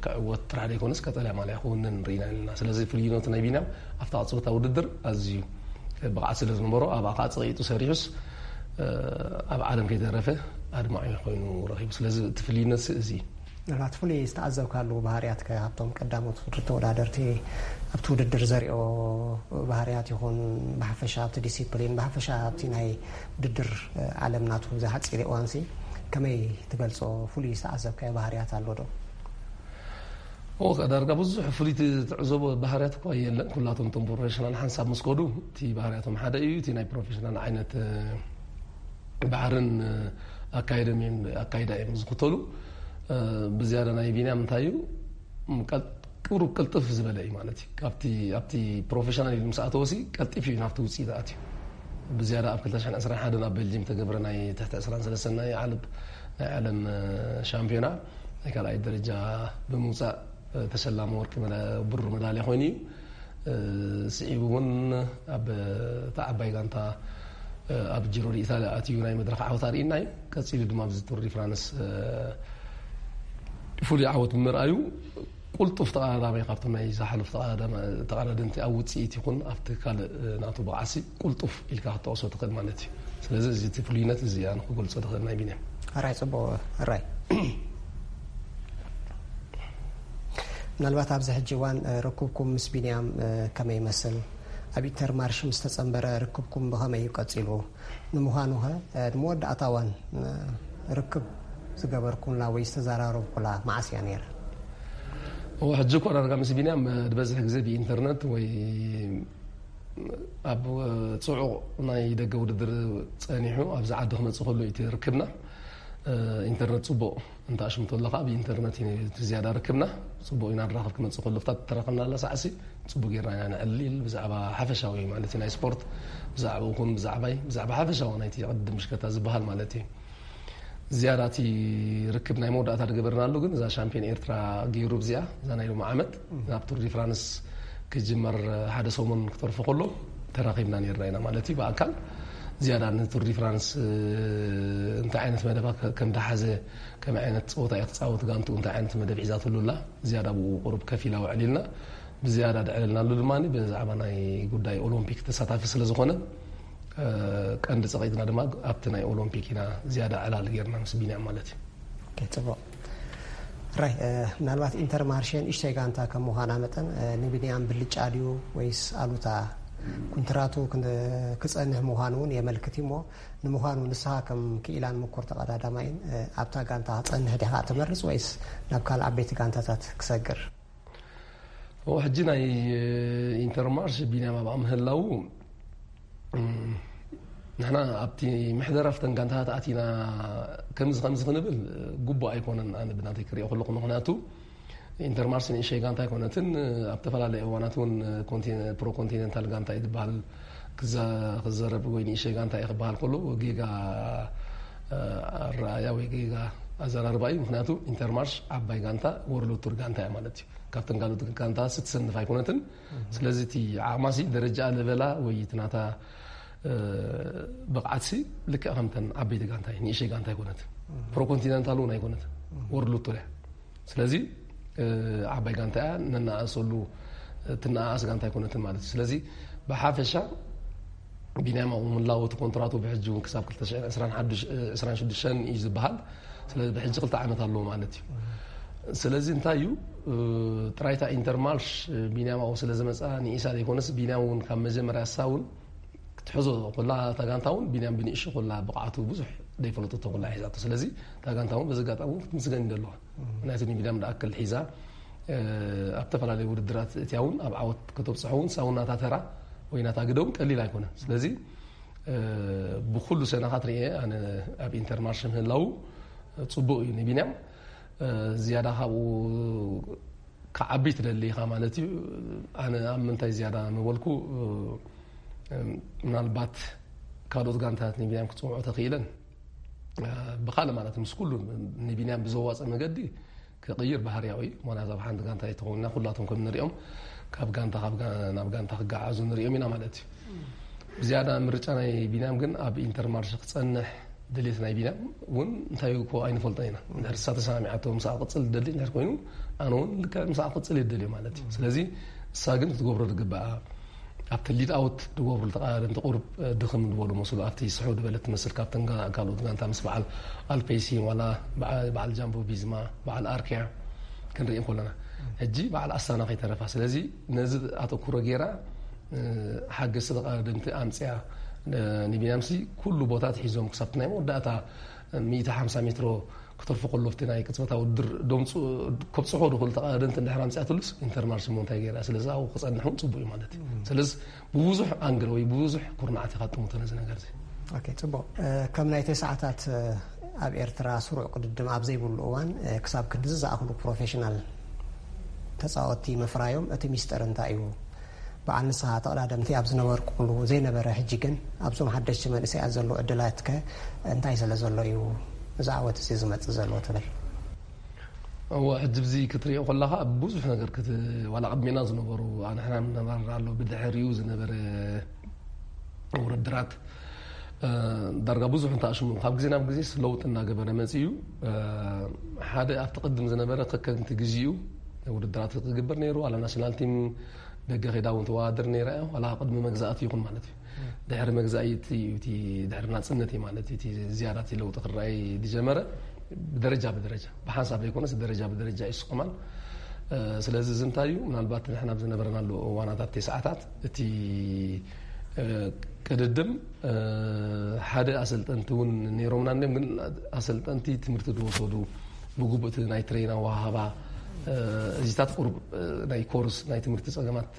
ክዕወት ጥራሕ ዘይኮነስ ቀጠልያ ማልያ ክውንን ርኢና ኣለና። ስለዚ ፍልይነቱ ናይ ቢንያም ኣብታ ቅፅበታ ውድድር ኣዝዩ ብቕዓት ስለ ዝነበሮ ኣብኣ ከዓ ፀቂጡ ሰሪሑስ ኣብ ዓለም ከይተረፈ ኣድማዒ ኮይኑ ረኺቡ። ስለዚ እቲ ፍልይነት እዚ እዩ። ምናልባት ፍሉይ ዝተዓዘብካሉ ባህርያት ከ ኣብቶም ቀዳሞት ውድድር ተወዳደርቲ ኣብቲ ውድድር ዘሪኦ ባህርያት ይኹን ብሓፈሻ ኣብቲ ዲሲፕሊን ብሓፈሻ ኣብቲ ናይ ውድድር ዓለም ናቱ እዚ ሓፂር እዋንሲ ከመይ ትገልፆ? ፍሉይ ዝተዓዘብካዮ ባህርያት ኣሎ ዶ? ኦ ዳርጋ ብዙሕ ፍሉይ ትዕዘቦ ባህርያት እኳ የለን። ኩላቶም እቶም ፕሮፌሽናል ሓንሳብ ምስ ከዱ እቲ ባህርያቶም ሓደ እዩ። እቲ ናይ ፕሮፌሽናል ዓይነት ባሕርን ኣካይዶም እዮም ኣካይዳ እዮም ዝኽተሉ። ብዝያዳ ናይ ቢንያም እንታይ እዩ ቁሩብ ቅልጥፍ ዝበለ እዩ ማለት እዩ። ካብቲ ኣብቲ ፕሮፌሽናል ኢሉ ምስ ኣተወሲ ቀልጢፍ እዩ ናብቲ ውፅኢት ኣትዩ። ብዝያዳ ኣብ ክልተ ሽሕን ዕስራን ሓደን ኣብ ቤልጅም ተገብረ ናይ ትሕቲ ዕስራን ሰለስተን ናይ ዓለም ናይ ዓለም ሻምፒዮና ናይ ካልኣይ ደረጃ ብምውፃእ ተሸላሚ ወርቂ ብሩር መዳልያ ኮይኑ እዩ። ስዒቡ እውን ኣብ እታ ዓባይ ጋንታ ኣብ ጂሮ ዲ ኢታልያ ኣትዩ ናይ መድረኽ ዓወት ኣርእና እዩ። ቀፂሉ ድማ ኣብዚ ቱር ዲ ፍራንስ ፍሉይ ዓወት ብምርኣዩ ቁልጡፍ ተቐዳዳማይ ካብቶም ናይ ዝሓለፉ ተቐዳደምቲ ኣብ ውፅኢት ይኹን ኣብቲ ካልእ ናቱ ብቕዓሲ ቁልጡፍ ኢልካ ክትጠቕሶ ትኽእል ማለት እዩ። ስለዚ እዚ እቲ ፍሉይነት እዚ ኣነ ክገልፆ ትኽእል ናይ ቢንያም። ኣራይ ፅቡቕ ኣራይ ምናልባት ኣብዚ ሕጂ እዋን ርክብኩም ምስ ቢንያም ከመይ ይመስል? ኣብ ኢንተርማርሽ ምስ ተጸንበረ ርክብኩም ብኸመይ እዩ ቀጺሉ? ንምዃኑ ኸ ንመወዳእታ እዋን ርክብ ዝገበርኩምላ ወይ ዝተዘራረብኩላ መዓስ እያ ነይራ? እወ ሕጂ እኮ ዳርጋ ምስ ቢንያም ዝበዝሕ ግዜ ብኢንተርነት ወይ ኣብ ጽዑቕ ናይ ደገ ውድድር ጸኒሑ ኣብዚ ዓዲ ክመጽእ ከሎ እዩ እቲ ርክብና። ኢንተርነት ጽቡቕ እንተ ኣሽምቶ ኣለኻ ብኢንተርነት እዩ እቲ ዝያዳ ርክብና። ጽቡቕ ኢና ንራኸብ ክመጽእ ከሎ ፍታት ተራኸብና ኣላ ሳዕሲ ጽቡቕ ጌርና ኢና ነዕልል ብዛዕባ ሓፈሻዊ ማለት እዩ ናይ ስፖርት ብዛዕባ ይኹን ብዛዕባይ ብዛዕባ ሓፈሻዊ ናይቲ ቅድድም ብሽከታ ዝበሃል ማለት እዩ። ዝያዳ እቲ ርክብ ናይ መወዳእታ ዝገበርናሉ ግን እዛ ሻምፒዮን ኤርትራ ገይሩ ብዚኣ እዛ ናይ ሎሚ ዓመት ናብ ቱር ዲ ፍራንስ ክጅመር ሓደ ሰሙን ክተርፎ ከሎ ተራኺብና ነርና ኢና ማለት እዩ። ብኣካል ዝያዳ ንቱር ዲ ፍራንስ እንታይ ዓይነት መደባ ከም ዝሓዘ፣ ከመይ ዓይነት ፀወታ እየ ክፃወት፣ ጋንቱ እንታይ ዓይነት መደብ ሒዛትሉ ኣላ፣ ዝያዳ ብኡ ቁሩብ ከፊላ ውዕል ኢልና ብዝያዳ ድዕልልናሉ ድማ ብዛዕባ ናይ ጉዳይ ኦሎምፒክ ተሳታፊ ስለ ዝኾነ ቀንዲ ፀቒጥና ድማ ኣብቲ ናይ ኦሎምፒክ ኢና ዝያዳ ዕላል ጌርና ምስ ቢንያም ማለት እዩ። ጽቡቕ። ራይ ምናልባት ኢንተርማርሼ ንእሽተይ ጋንታ ከም ምዃና መጠን ንቢንያም ብልጫ ድዩ ወይስ ኣሉታ? ኩንትራቱ ክጸንሕ ምዃኑ እውን የመልክት እሞ ንምዃኑ ንስኻ ከም ክኢላን ምኩር ተቐዳዳማይን ኣብታ ጋንታ ክጸንሕ ዲኻ ትመርጽ ወይስ ናብ ካልእ ዓበይቲ ጋንታታት ክሰግር? ሕጂ ናይ ኢንተርማርሽ ቢንያም ኣብኣ ምህላው ንሕና ኣብቲ ምሕደራ ፍተን ጋንታታት ኣቲና ከምዚ ከምዚ ክንብል ግቡእ ኣይኮነን። ኣነ ብናተይ ክሪኦ ከለኹ ምክንያቱ ኢንተርማርሽ ንእሸይ ጋንታ ኣይኮነትን። ኣብ ተፈላለየ እዋናት እውን ፕሮ ኮንቲኔንታል ጋንታ እዩ ዝበሃል ክዘረብ ወይ ንእሸይ ጋንታ እዩ ክበሃል ከሎ ጌጋ ኣረኣያ ወይ ጌጋ ኣዘራርባ እዩ። ምክንያቱ ኢንተርማርሽ ዓባይ ጋንታ ወርልድ ቱር ጋንታ እያ ማለት እዩ። ካብተን ካልኦት ጋንታ ስትሰንፍ ኣይኮነትን። ስለዚ እቲ ዓቕማሲ ደረጃ ለበላ ወይ እቲ ናታ ብቕዓትሲ ልክዕ ከምተን ዓበይቲ ጋንታ እዩ፣ ንእሸይ ጋንታ ኣይኮነትን። ፕሮ ኮንቲነንታል እውን ኣይኮነትን፣ ወርልድ ቱር እያ። ስለዚ ዓባይ ጋንታ እያ፣ ነናኣእሰሉ ትነኣኣስ ጋንታ ኣይኮነትን ማለት እዩ። ስለዚ ብሓፈሻ ቢንያም ኣብኡ ምላው እቲ ኮንትራቱ ብሕጂ እውን ክሳብ ክልተ ሽሕን ዕስራን ሓዱሽተን እዩ ዝበሃል። ስለዚ ብሕጂ ክልተ ዓመት ኣለዎ ማለት እዩ። ስለዚ እንታይ እዩ ጥራይታ ኢንተርማርሽ ቢንያም ኣብኡ ስለ ዝመፃ ንኢሳ ዘይኮነስ ቢንያም እውን ካብ መጀመርያ እሳ እውን ክትሕዞ ኮላ እታ ጋንታ እውን ቢንያም ብንእሹ ኮላ ብቕዓቱ ብዙሕ ዘይፈለጠቶ ኮላ ሒዛቶ። ስለዚ እታ ጋንታ እውን በዚ ኣጋጣሚ እውን ክትምስገን ይደለዋ። ምክንያቱ ንቢንያም ዝኣክል ሒዛ ኣብ ዝተፈላለዩ ውድድራት እትያ እውን ኣብ ዓወት ከተብፅሖ እውን ሳውን ናታ ተራ ወይ ናታ ግደ እውን ቀሊል ኣይኮነ። ስለዚ ብኩሉ ሰናኻት ርኤ ኣነ ኣብ ኢንተርማርሽ ምህላው ፅቡቅ እዩ ንቢንያም። ዝያዳ ካብኡ ክዓቢ ትደሊ ኢኻ ማለት እዩ። ኣነ ኣብ ምንታይ ዝያዳ ምበልኩ ምናልባት ካልኦት ጋንታት ንቢንያም ክፅውዖ ተኽኢለን ብኻልእ ማለት ምስ ኩሉ ንቢንያም ብዘዋፀ መገዲ ክቕይር ባህርያዊ እዩ። ምክንያቱ ኣብ ሓንቲ ጋንታ ኣይተኾንና ኩላቶም ከም ንሪኦም ካብ ጋንታ ናብ ጋንታ ክገዓዙ ንሪኦም ኢና ማለት እዩ። ብዝያዳ ምርጫ ናይ ቢንያም ግን ኣብ ኢንተርማርሽ ክፀንሕ ድሌት ናይ ቢንያም እውን እንታይ እኮ ኣይንፈልጦ ኢና። እንድሕር እሳ ተሰማሚዓቶ ምስኣ ክቕፅል ዝደሊ እንድሕር ኮይኑ ኣነ እውን ልክዕ ምስኣ ክቕፅል እየ ዝደልዮ ማለት እዩ። ስለዚ እሳ ግን ክትገብሮ ዝግበኣ ኣብቲ ሊድ ኣውት ዝገብሩ ተቃዳደምቲ ቁሩብ ድኽም ዝበሉ መስሉ ኣብቲ ስሑ ዝበለት ትመስል ካብተን ካልኦት ጋንታ ምስ በዓል ኣልፔይሲን ዋላ በዓል ጃምቦ ቪዝማ በዓል ኣርኪያ ክንርኢ ከለና ሕጂ በዓል ኣስታና ከይተረፋ ስለዚ ነዚ ኣተኩሮ ገይራ ሓገዝቲ ተቃዳደምቲ ኣምፅያ ንቢንያምሲ ኩሉ ቦታት ሒዞም ክሳብቲ ናይ መወዳእታ ሚእቲ ሓምሳ ሜትሮ ክተርፎ ከሎ ኣብቲ ናይ ቅጽበታዊ ውድድር ደምፅኡ ከብፅሖ ድኽእሉ ተቐዳደምቲ እንድሕር ኣምፅኣትሉስ ኢንተርማርሽ እሞ እንታይ ገይራ? ስለዚ ኣብኡ ክፀንሕ እውን ፅቡቅ እዩ ማለት እዩ። ስለዚ ብብዙሕ ኣንግል ወይ ብብዙሕ ኩርናዓት ኢኻ ትጥምቶ ነዚ ነገር እዚ። ኦኬ፣ ፅቡቅ። ከም ናይ ተስዓታት ኣብ ኤርትራ ስሩዕ ቅድድም ኣብ ዘይብሉ እዋን ክሳብ ክንድዚ ዝኣኽሉ ፕሮፌሽናል ተፃወትቲ ምፍራዮም እቲ ሚስጥር እንታይ እዩ? በዓል ንስኻ ተቐዳደምቲ ኣብ ዝነበርኩምሉ ዘይነበረ ሕጂ ግን ኣብዞም ሓደሽቲ መንእሰያት ዘሎ ዕድላት ከ እንታይ ስለ ዘሎ እዩ እዚ ዓወት እዚ ዝመጽእ ዘሎ ትብል? እወ ሕጂ ብዚ ክትሪኦ ከለኻ ብዙሕ ነገር ክት ዋላ ቅድሜና ዝነበሩ ኣንሕና ንነበር ኣሎ ብድሕሪኡ ዝነበረ ውድድራት ዳርጋ ብዙሕ እንተኣሽሙ ካብ ግዜ ናብ ግዜስ ለውጢ እናገበረ መፂኡ ሓደ ኣብቲ ቅድም ዝነበረ ከከምቲ ግዜኡ ውድድራት ክግበር ነይሩ ዋላ ናሽናል ቲም ደገ ከይዳ እውን ተወዳድር ነይራ እያ ዋላ ቅድሚ መግዛእቲ ይኹን ማለት እዩ ድሕሪ መግዛእቲ እዩ እቲ ድሕሪ ናፅነት እዩ ማለት እቲ ዝያዳ እቲ ለውጢ ክረኣይ ዝጀመረ ብደረጃ ብደረጃ ብሓንሳብ ዘይኮነስ ደረጃ ብደረጃ እዩ ስቁማን ስለዚ እዚ እንታይ እዩ ምናልባት ንሕና ኣብ ዝነበረናሉ እዋናት ኣብቲ ሰዓታት እቲ ቅድድም ሓደ ኣሰልጠንቲ እውን ነይሮምና እንዲም ግን ኣሰልጠንቲ ትምህርቲ ዝወሰዱ ብግቡእቲ ናይ ትሬና ወሃባ እዚታት ቁሩብ ናይ ኮርስ ናይ ትምህርቲ ፀገማት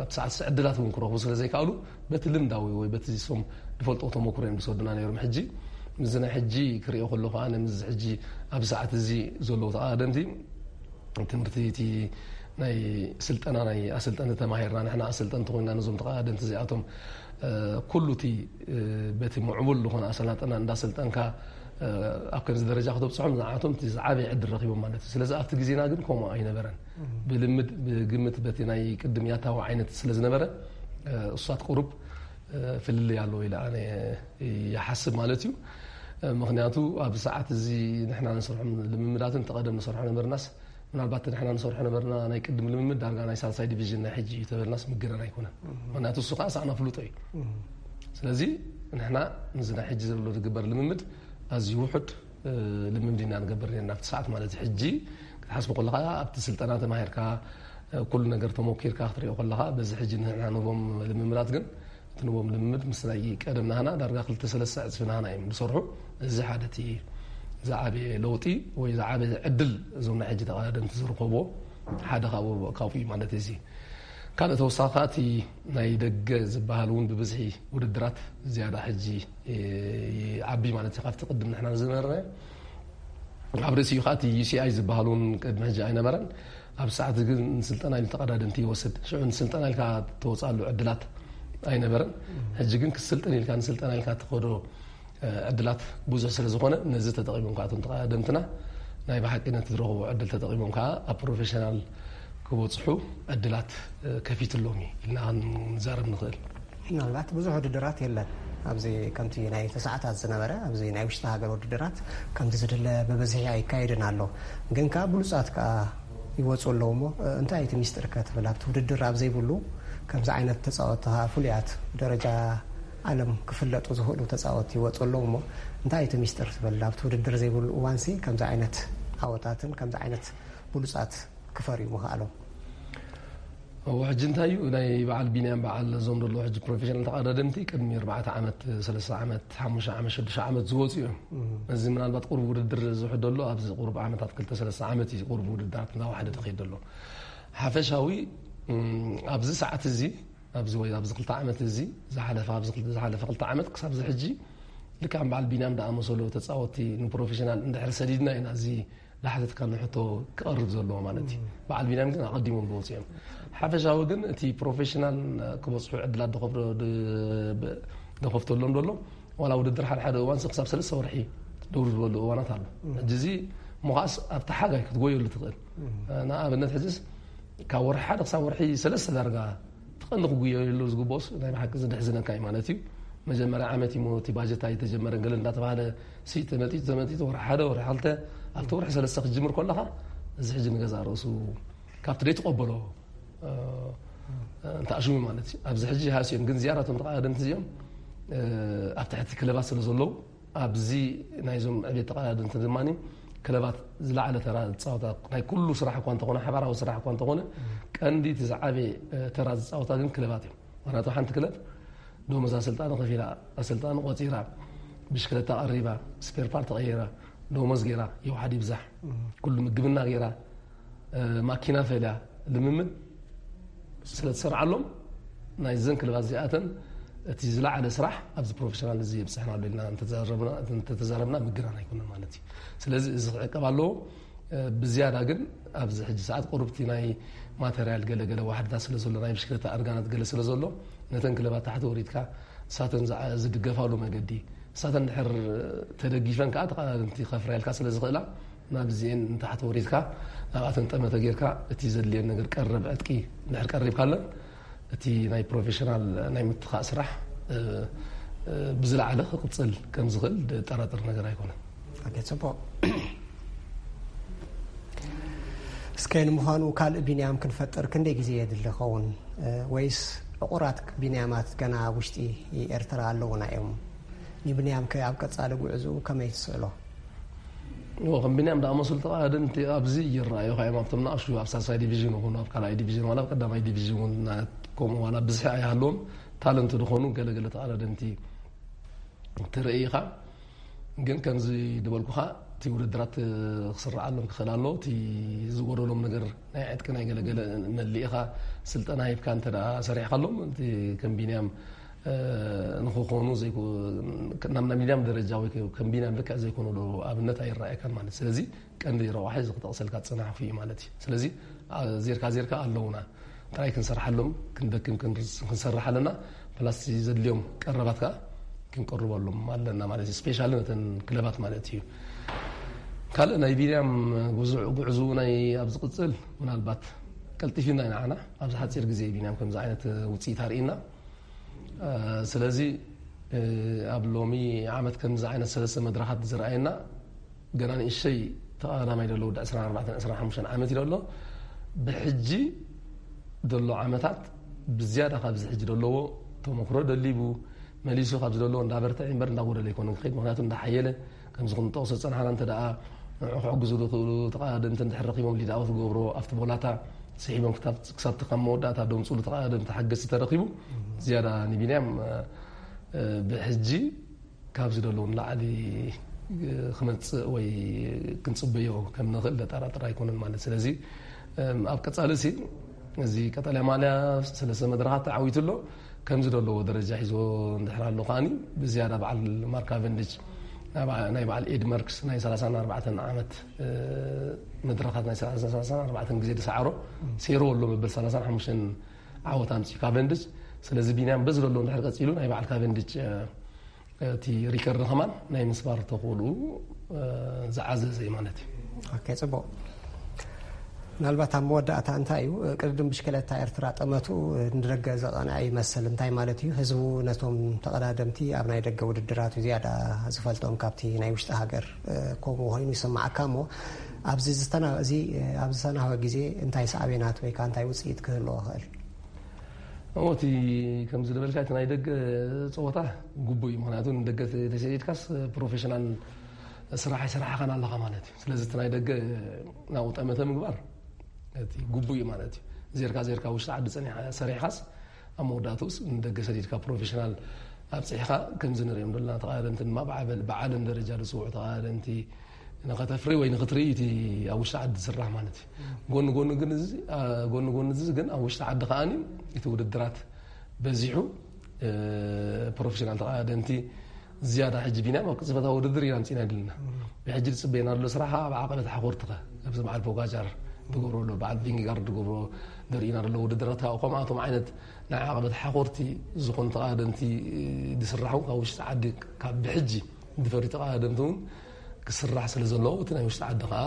ኣብ ሰዓት ዕድላት እውን ክረኽቡ ስለ ዘይከኣሉ በቲ ልምዳዊ ወይ በቲ ሶም ዝፈልጦ ተመክሮ እዮም ዝሰዱና ነይሮም ሕጂ ምዚ ናይ ሕጂ ክሪኦ ከለኹ ኣነ ምዚ ሕጂ ኣብ ሰዓት እዚ ዘለዉ ተቃደምቲ ትምህርቲ እቲ ናይ ስልጠና ናይ ኣሰልጠንቲ ተማሂርና ንሕና ኣሰልጠንቲ ኮይና ነዞም ተቐዳደምቲ እዚኣቶም ኩሉ እቲ በቲ ምዕቡል ዝኾነ ኣሰላጠና እንዳሰልጠንካ ኣብ ከምዚ ደረጃ ክተብፅሖም ንዓቶም እቲ ዝዓበየ ዕድል ረኪቦም ማለት እዩ። ስለዚ ኣብቲ ግዜና ግን ከምኡ ኣይነበረን። ብልምድ ብግምት በቲ ናይ ቅድም ያታዊ ዓይነት ስለዝነበረ እሳት ቁሩብ ፍልልይ ኣለዎ ኢለ ኣነ ይሓስብ ማለት እዩ። ምክንያቱ ኣብ ሰዓት እዚ ንሕና ንሰርሖም ልምምዳትን ተቐደም ንሰርሖ ነበርናስ ምናልባት ንሕና ንሰርሖ ነበርና ናይ ቅድም ልምምድ ዳርጋ ናይ ሳልሳይ ዲቪዥን ናይ ሕጂ እዩ ተበልናስ ምግረን ኣይኮነን። ምክንያቱ እሱ ከዓ ሳዕና ፍሉጦ እዩ። ስለዚ ንሕና ንዚ ናይ ሕጂ ዘሎ ዝግበር ልምምድ ኣዝዩ ውሑድ ልምምድ ኢና ንገብር ነርና ኣብቲ ሰዓት ማለት እዩ። ሕጂ ክትሓስቡ ከለካ ኣብቲ ስልጠና ተማሂርካ ኩሉ ነገር ተሞኪርካ ክትሪኦ ከለካ በዚ ሕጂ ንሕና ንቦም ልምምዳት ግን እቲ ንቦም ልምምድ ምስ ናይ ቀደም ናህና ዳርጋ ክልተ ሰለስተ ዕፅፊ ናህና እዮም ዝሰርሑ። እዚ ሓደ እቲ ዝዓበየ ለውጢ ወይ ዝዓበየ ዕድል እዞም ናይ ሕጂ ተቐዳደምቲ ዝርከብዎ ሓደ ካብኡ ካብኡ እዩ ማለት እዚ። ካልእ ተወሳኺ እቲ ናይ ደገ ዝበሃል እውን ብብዝሒ ውድድራት ዝያዳ ሕጂ ይዓቢ ማለት እዩ። ካብቲ ቅድም ንሕና ዝነበርና ኣብ ርእሲኡ ከዓ እቲ ዩ ሲ ኣይ ዝበሃል እውን ቅድሚ ሕጂ ኣይነበረን። ኣብ ሰዓት ግን ንስልጠና ኢሉ ተቐዳደምቲ ይወስድ። ሽዑ ንስልጠና ኢልካ ተወፅኣሉ ዕድላት ኣይነበረን። ሕጂ ግን ክስልጥን ኢልካ ንስልጠና ኢልካ ትኸዶ ዕድላት ብዙሕ ስለ ዝኾነ ነዚ ተጠቒሞም ከዓ እቶም ተቐዳደምትና ናይ ብሓቂ ነቲ ዝረኽቦ ዕድል ተጠቒሞም ከዓ ኣብ ፕሮፌሽናል ክበፅሑ ዕድላት ከፊትሎም እዩ ኢልና ክንዛረብ ንኽእል። ምናልባት ብዙሕ ውድድራት የለን ኣብዚ ከምቲ ናይ ተሰዓታት ዝነበረ ኣብዚ ናይ ውሽጢ ሃገር ውድድራት ከምቲ ዝድለ ብብዝሒ ኣይካየድን ኣሎ። ግን ከዓ ብሉፃት ከዓ ይወፁ ኣለዉ እሞ እንታይ እቲ ሚስጥር ከ ትብል ኣብቲ ውድድር ኣብ ዘይብሉ ከምዚ ዓይነት ተፃወትቲ ከዓ ፍሉያት ደረጃ ዓለም ክፍለጡ ዝኽእሉ ተፃወትቲ ይወፁ ኣለዉ እሞ እንታይ እቲ ሚስጥር ትብል ኣብቲ ውድድር ዘይብሉ እዋንሲ ከምዚ ዓይነት ዓወታትን ከምዚ ዓይነት ብሉፃት ክፈርዩ ምኽኣሎም? እዎ ሕጂ እንታይ እዩ ናይ በዓል ቢንያም በዓል እዞም ደሎ ሕጂ ፕሮፌሽናል ተቐዳደምቲ ቅድሚ ኣርባዕተ ዓመት ሰለስተ ዓመት ሓሙሽተ ዓመት ሽዱሽተ ዓመት ዝወፁ እዮም። እዚ ምናልባት ቁሩብ ውድድር ዝውሕድ ደሎ ኣብዚ ቁሩብ ዓመታት ክልተ ሰለስተ ዓመት እዩ ቁሩብ ውድድራት እናዋሕደ ዝኸይድ ደሎ። ሓፈሻዊ ኣብዚ ሰዓት እዚ ኣብዚ ወይ ኣብዚ ክልተ ዓመት እዚ ዝሓለፈ ኣብዚ ዝሓለፈ ክልተ ዓመት ክሳብ እዚ ሕጂ ልክዕ በዓል ቢንያም ደኣመሰሉ ተፃወትቲ ንፕሮፌሽናል እንድሕር ሰዲድና ኢና እዚ ዳሕተትካ ንሕቶ ክቐርብ ዘለዎ ማለት እዩ። በዓል ቢንያም ግን ኣቐዲሞም ዝወፁ እዮም። ሓፈሻዊ ግን እቲ ፕሮፌሽናል ክበፅሑ ዕድላት ደኸፍተሎም ደሎ ዋላ ውድድር ሓደ ሓደ እዋን ክሳብ ሰለስተ ወርሒ ደውር ዝበሉ እዋናት ኣሎ። ሕጂ እዚ ምኻስ ኣብቲ ሓጋይ ክትጎየሉ ትኽእል። ንኣብነት ሕጅስ ካብ ወርሒ ሓደ ክሳብ ወርሒ ሰለስተ ዳርጋ ትቐንዲ ክጉየሉ ዝግብኦስ ናይ ብሓቂ ዝድሕዝነካ እዩ ማለት እዩ። መጀመርያ ዓመት እዩ እቲ ባጀት ኣይተጀመረን ገለ እንዳተባሃለ ሲ ተመጢጡ ተመጢጡ ወርሒ ሓደ ወርሒ ክልተ ኣብቲ ወርሒ ሰለስተ ክትጅምር ከለኻ እዚ ሕጂ ንገዛእ ርእሱ ካብቲ ደይትቐበሎ እንተኣሽሙ ማለት እዩ። ኣብዚ ሕጂ ሃስዮም ግን ዝያዳ እቶም ተቐዳደምቲ እዚኦም ኣብ ትሕቲ ክለባት ስለ ዘለዉ ኣብዚ ናይዞም ዕቤት ተቐዳደምቲ ድማ ክለባት ዝለዓለ ተራ ዝፃወታ ናይ ኩሉ ስራሕ እኳ እንተኾነ ሓባራዊ ስራሕ እኳ እንተኾነ ቀንዲ እቲ ዝዓበየ ተራ ዝፃወታ ግን ክለባት እዮም። ምክንያቱ ሓንቲ ክለብ ደሞዝ ኣሰልጣኒ ከፊላ ኣሰልጣኒ ቆፂራ ብሽክለታ ቀሪባ ስፔር ፓርት ቀይራ ደሞዝ ገይራ ይውሓድ ይብዛሕ ኩሉ ምግብና ገይራ ማኪና ፈልያ ልምምድ ስለ ትሰርዓሎም ናይዘን ክለባት እዚኣተን እቲ ዝለዓለ ስራሕ ኣብዚ ፕሮፌሽናል እዚ የብፅሕና ኣሎ ኢልና እንተተዛረብና ምግናን ኣይኮነን ማለት እዩ። ስለዚ እዚ ክዕቀብ ኣለዎ። ብዝያዳ ግን ኣብዚ ሕጂ ሰዓት ቁሩብቲ ናይ ማተርያል ገለገለ ዋሕድታት ስለ ዘሎ ናይ ብሽክለታ ኣርጋናት ገለ ስለ ዘሎ ነተን ክለባት ታሕቲ ወሪድካ እሳተን ዝድገፋሉ መገዲ እሳተን ድሕር ተደጊፈን ከዓ ተቃዳድምቲ ከፍርያልካ ስለ ዝኽእላ ናብዚኤን ንታሕቲ ወሪድካ ናብኣተን ጠመተ ጌርካ እቲ ዘድልየን ነገር ቀረብ ዕጥቂ ድሕር ቀሪብካለን እቲ ናይ ፕሮፌሽናል ናይ ምትኻእ ስራሕ ብዝለዓለ ክቕፅል ከም ዝኽእል ጠራጥር ነገር ኣይኮነን። ጽቡቕ። እስከ ንምዃኑ ካልእ ቢንያም ክንፈጥር ክንደይ ግዜ የድሊ ኸውን? ወይስ ዕቑራት ቢንያማት ገና ኣብ ውሽጢ ኤርትራ ኣለዉና እዮም? ንቢንያም ከ ኣብ ቀጻሊ ጉዕዝኡ ከመይ ትስእሎ? እዎ ከም ቢንያም ዝኣመሰሉ ተቐዳደምቲ ኣብዚ ይረኣዩ ካዮም ኣብቶም ንኣሽቱ ኣብ ሳልሳይ ዲቪዥን ይኹኑ ኣብ ካልኣይ ዲቪዥን ዋላ ኣብ ቀዳማይ ዲቪዥን እውን ከምኡ ዋላ ብዝሒ ኣይሃለዎም ታለንት ዝኾኑ ገለገለ ተቐዳደምቲ ትርኢ ኢኻ። ግን ከምዚ ዝበልኩኻ እቲ ውድድራት ክስረዓሎም ክኽእል ኣሎ። እቲ ዝጎደሎም ነገር ናይ ዕጥቂ ናይ ገለገለ መሊእኻ ስልጠና ሂብካ እንተ ደኣ ሰሪሕካሎም እቲ ከም ቢንያም ንክኾኑ ናብ ናይ ቢንያም ደረጃ ወይ ከም ቢንያም ልክዕ ዘይኮኑ ዶ ኣብነት ኣይረኣየካን ማለት ስለዚ ቀንዲ ረቋሒ እዚ ክጠቕሰልካ ዝፀናሕኩ እዩ ማለት እዩ። ስለዚ ዜርካ ዜርካ ኣለውና። ጥራይ ክንሰርሓሎም፣ ክንደክም ክንርስ- ክንሰርሕ ኣለና። ፕላስ ዘድልዮም ቀረባት ከዓ ክንቀርበሎም ኣለና ማለት እዩ። ስፔሻሊ ነተን ክለባት ማለት እዩ። ካልእ ናይ ቢንያም ጉዙዕ- ጉዕዞ ናይ ኣብ ዝቕጽል ምናልባት ቀልጢፊና ኢና ንዓና ኣብዚ ሓጺር ግዜ ቢንያም ከምዚ ዓይነት ውጽኢት ኣርእና። ስለዚ ኣብ ሎሚ ዓመት ከምዚ ዓይነት ሰለስተ መድረኻት ዝረኣየና ገና ንእሸይ ተቐዳማይ ዘሎ ወዲ ዕስራን ኣርባዕተን ዕስራን ሓሙሽተን ዓመት እዩ ዘሎ። ብሕጂ ዘሎ ዓመታት ብዝያዳ ካብዚ ሕጂ ዘለዎ ተመክሮ ደሊቡ መሊሱ ካብዚ ዘለዎ እንዳበርትዐ እምበር እንዳጎደለ ኣይኮነን ክኸይድ። ምክንያቱ እንዳሓየለ ከምዚ ክንጠቕሶ ዝጸናሕና እንተ ደኣ ንዑ ክሕግዙ ዝኽእሉ ተቐዳደምቲ እንድሕር ረኺቦም ሊድ ኣውት ገብሮ ኣብቲ ቦላታ ስሒቦም ክሳብ ክሳብ ካብ መወዳእታ ደምፅሉ ተቐዳደምቲ ሓገዝቲ ተረኺቡ ዝያዳ ንቢንያም ብሕጂ ካብዚ ደለዉ ንላዕሊ ክመፅእ ወይ ክንፅበዮ ከም ንኽእል ዘጠራጥር ኣይኮነን ማለት። ስለዚ ኣብ ቀፃሊ ሲ እዚ ቀጠልያ ማልያ ሰለስተ መድረኻት ተዓዊቱ ኣሎ። ከምዚ ደለዎ ደረጃ ሒዞ እንድሕር ኣሎ ከዓኒ ብዝያዳ በዓል ማርክ ካቨንዲች ናይ በዓል ኤድ መርክስ ናይ ሰላሳን ኣርባዕተን ዓመት መድረኻት ናይ ሰላሳን ኣርባዕተን ግዜ ዝሰዓሮ ሴርዎ ኣሎ መበል ሰላሳን ሓሙሽተን ዓወት ኣምፂኡ ካቨንዲች። ስለዚ ቢንያም በዚ ዘሎ እንድሕር ቀፂሉ ናይ በዓል ካቨንዲች እቲ ሪከርድ ከማን ናይ ምስባር ተኽእልኡ ዝዓዘዘ እዩ ማለት እዩ። ጽቡቕ። ምናልባት ኣብ መወዳእታ እንታይ እዩ ቅድድም ብሽክለታ ኤርትራ ጠመቱ ንደገ ዘቐንዐ ይመስል? እንታይ ማለት እዩ? ህዝቡ ነቶም ተቐዳደምቲ ኣብ ናይ ደገ ውድድራቱ ዝያዳ ዝፈልጦም ካብቲ ናይ ውሽጢ ሃገር ከምኡ ኮይኑ ይስማዓካ እሞ ኣብዚ ዝተና- እዚ ኣብ ዝተናህወ ግዜ እንታይ ሳዕቤናት ወይ ከዓ እንታይ ውፅኢት ክህልዎ ይኽእል? እሞ እቲ ከምዚ ዝበልካ እቲ ናይ ደገ ፀወታ ግቡእ እዩ። ምክንያቱ ንደገ ተሰዲድካስ ፕሮፌሽናል ስራሕ ኣይሰራሕኻን ኣለኻ ማለት እዩ። ስለዚ እቲ ናይ ደገ ናብኡ ጠመተ ምግባር እቲ ግቡእ እዩ ማለት እዩ። ዜርካ ዜርካ ውሽጢ ዓዲ ጸኒሕካ ሰሪሕካስ ኣብ መወዳእትኡስ ንደገ ሰዲድካ ፕሮፌሽናል ኣብፅሕኻ ከምዚ ንሪኦም ዘለና ተቐዳደምቲ ድማ ብዓበል- ብዓለም ደረጃ ዝፅውዑ ተቐዳደምቲ ንኸተፍሪ ወይ ንኽትርኢ እቲ ኣብ ውሽጢ ዓዲ ዝስራሕ ማለት እዩ። ጎኒ ጎኒ ግን እዚ ኣ- ጎኒ ጎኒ እዚ ግን ኣብ ውሽጢ ዓዲ ከዓኒ እቲ ውድድራት በዚሑ እ፣ ፕሮፌሽናል ተቐዳደምቲ ዝያዳ ሕጂ ቢንያም ኣብ ቅጽበታዊ ውድድር ኢና ኣምጺእና ድልና ብሕጂ ዝጽበየና ዘሎ ስራሕ ኣብ ዓቐበት ሓኾርትኸ ኣብዚ በዓል ፖጋቻር ትገብሮ ኣሎ በዓል ቪንጊጋርድ ትገብሮ ዘርእዩና ዘሎ ውድድራት ካብ ከምኣቶም ዓይነት ናይ ዓቐበት ሓኾርቲ ዝኾኑ ተቐዳደምቲ ዝስራሕ እውን ካብ ውሽጢ ዓዲ ካብ ብሕጂ ዝፈሪ ተቐዳደምቲ እውን ክስራሕ ስለ ዘለዎ እቲ ናይ ውሽጢ ዓዲ ከዓ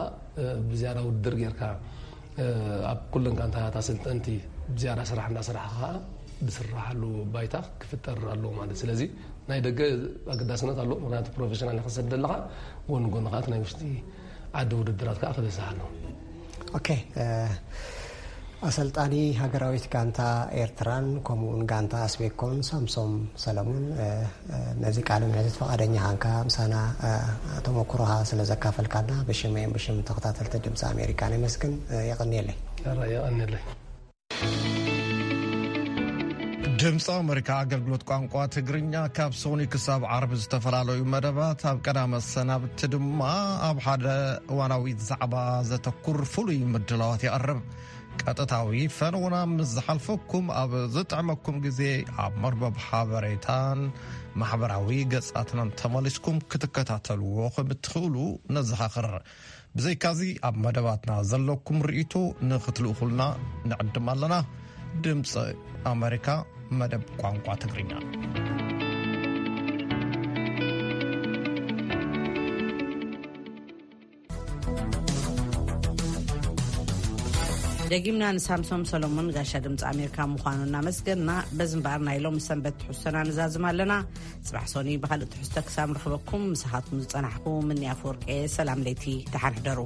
ብዝያዳ ውድድር ጌርካ ኣብ ኩለን ጋንታታት ኣሰልጠንቲ ብዝያዳ ስራሕ እንዳሰራሕካ ከዓ ዝስራሓሉ ባይታ ክፍጠር ኣለዎ ማለት። ስለዚ ናይ ደገ ኣገዳስነት ኣለዎ፣ ምክንያቱ ፕሮፌሽናል ኢኻ ትሰድድ ዘለኻ፣ ጎኒ ጎኒ ከዓ እቲ ናይ ውሽጢ ዓዲ ውድድራት ከዓ ክበዝሕ ኣለዎ። ኦኬ። ኣሰልጣኒ ሃገራዊት ጋንታ ኤርትራን ከምኡውን ጋንታ ኣስቤኮን ሳምሶም ሰለሙን ነዚ ቃለ ምሕትት ፈቓደኛ ኻንካ ምሳና ተመኩሮኻ ስለ ዘካፈልካና ብሽመይን ብሽም ተኸታተልቲ ድምፂ ኣሜሪካ ነመስግን። የቐንየለይ። የቐንየለይ። ድምፂ ኣሜሪካ ኣገልግሎት ቋንቋ ትግርኛ ካብ ሶኒ ክሳብ ዓርቢ ዝተፈላለዩ መደባት ኣብ ቀዳመ ሰናብቲ ድማ ኣብ ሓደ እዋናዊ ዛዕባ ዘተኩር ፍሉይ ምድላዋት የቕርብ። ቀጥታዊ ፈነውና ምስ ዝሓልፈኩም ኣብ ዝጥዕመኩም ግዜ ኣብ መርበብ ሓበሬታን ማሕበራዊ ገጻትናን ተመሊስኩም ክትከታተልዎ ከም እትኽእሉ ነዘኻኽር። ብዘይካዚ ኣብ መደባትና ዘለኩም ርእይቶ ንኽትልእኹልና ንዕድም ኣለና። ድምፂ ኣሜሪካ መደብ ቋንቋ ትግርኛ። ደጊምና ንሳምሶም ሰሎሞን ጋሻ ድምፂ ኣሜሪካ ምዃኑ እናመስገንና በዚ እምበኣር ናይ ሎም ሰንበት ትሕዝቶና ንዛዝም ኣለና። ፅባሕ ሶኒ ብካልእ ትሕዝቶ ክሳብ ንረኽበኩም ምሳኻትኩም ዝፀናሕኩ ምኒ ኣፈወርቂ። ሰላም ለይቲ፣ ደሓን ሕደሩ።